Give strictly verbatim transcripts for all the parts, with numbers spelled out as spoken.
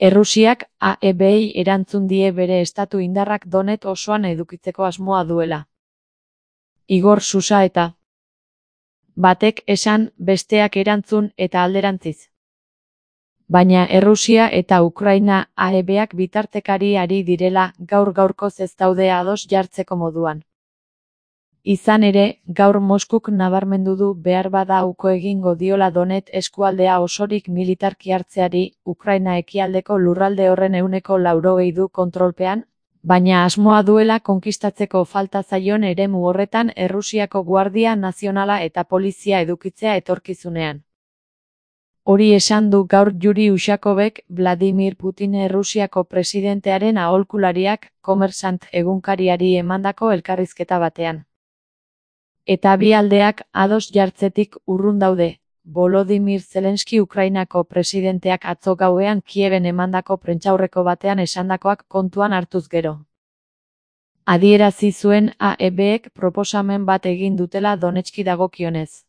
Errusiak A E B-i erantzun die bere estatu indarrak Donet osoan edukitzeko asmoa duela. Igor Susaeta. Batek esan, besteak erantzun eta alderantziz. Baina Errusia eta Ukraina A E B-ak bitartekari ari direla gaur gaurkoz ez daude ados jartzeko moduan. Izan ere, gaur Moskuk nabarmendu du behar bada uko egingo diola Donet eskualdea osorik militarki hartzeari, Ukraina ekialdeko lurralde horren ehuneko laurogei du kontrolpean, baina asmoa duela konkistatzeko falta zaion eremu horretan Errusiako Guardia Nazionala eta polizia edukitzea etorkizunean. Hori esan du gaur Yuri Ushakovek, Vladimir Putin Errusiako presidentearen aholkulariak, Kommersant egunkariari emandako elkarrizketa batean. Eta bi aldeak ados jartzetik urrun daude. Volodymyr Zelenski Ukrainako presidenteak atzo gauean Kieben emandako prentsaurreko batean esandakoak kontuan hartuz gero. Adierazi zuen A E B-ek proposamen bat egin dutela Donetski dagokionez.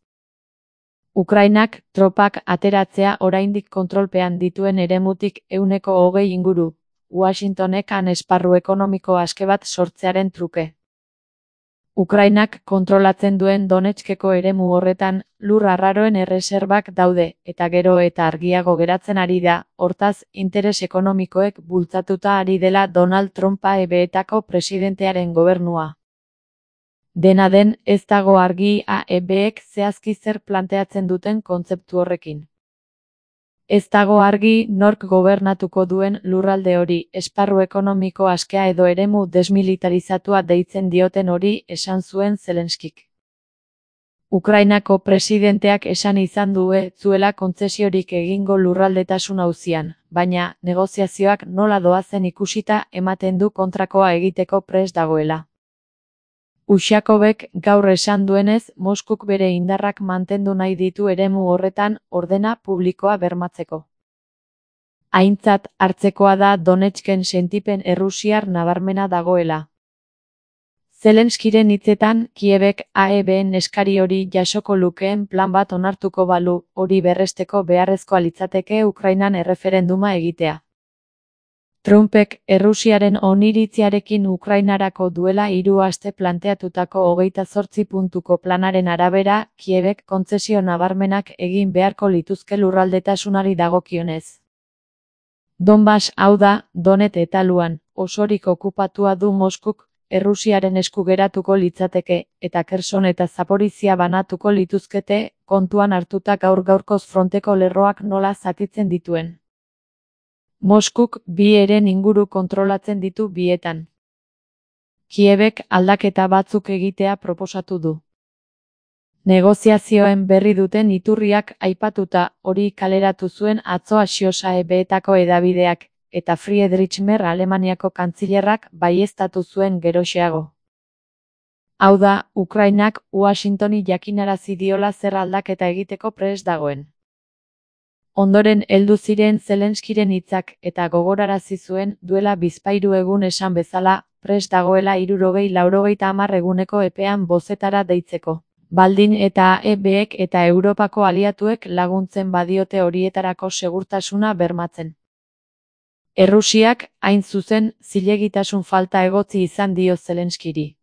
Ukrainak tropak ateratzea oraindik kontrolpean dituen eremutik ehuneko hogei inguru, Washingtonek han esparru ekonomiko aske bat sortzearen truke. Ukrainak kontrolatzen duen Donetskeko eremu horretan, lur arraroen erreserbak daude, eta gero eta argiago geratzen ari da, hortaz, interes ekonomikoek bultzatuta ari dela Donald Trump A E B-etako presidentearen gobernua. Dena den, ez dago argi A E B-ek zehazki zer planteatzen duten kontzeptu horrekin. Ez dago argi nork gobernatuko duen lurralde hori, esparru ekonomiko askea edo eremu desmilitarizatua deitzen dioten hori, esan zuen Zelenskik. Ukrainako presidenteak esan izan du ez zuela kontzesiorik egingo lurraldetasun auzian, baina negoziazioak nola doazen ikusita ematen du kontrakoa egiteko prest dagoela. Ushakovek gaur esan duenez, Moskuk bere indarrak mantendu nahi ditu eremu horretan ordena publikoa bermatzeko. Aintzat hartzekoa da Donetsken sentipen errusiar nabarmena dagoela. Zelenskiren hitzetan, Kiebek A E B-en eskari hori jasoko lukeen plan bat onartuko balu, hori berresteko beharrezkoa litzateke Ukrainan erreferenduma egitea. Trumpek Errusiaren oniritziarekin Ukrainarako duela hiru aste planteatutako hogeita zortzi puntuko planaren arabera, Kiebek kontzesio nabarmenak egin beharko lituzke lurraldetasunari dagokionez. Donbas hau da, Donet eta Luhan, osorik okupatua du Moskuk, Errusiaren esku geratuko litzateke, eta Kherson eta Zaporizhia banatuko lituzkete, kontuan hartuta gaur gaurkoz fronteko lerroak nola zatitzen dituen. Moskuk bi heren inguru kontrolatzen ditu bietan. Kiebek aldaketa batzuk egitea proposatu du. Negoziazioen berri duten iturriak aipatuta hori kaleratu zuen atzo Axios A E B-etako edabideak, eta Friedrich Merz Alemaniako kantzilerrak baieztatu zuen geroxeago. Hau da, Ukrainak Washingtoni jakinarazi diola zer aldaketa egiteko prest dagoen. Ondoren heldu ziren Zelenskiren hitzak eta gogorarazi zuen duela bizpahiru egun esan bezala, prest dagoela hirurogei laurogeita hamar eguneko epean bozetara deitzeko. Baldin eta A E B-ek eta Europako aliatuek laguntzen badiote horietarako segurtasuna bermatzen. Errusiak, hain zuzen, zilegitasun falta egotzi izan dio Zelenskiri.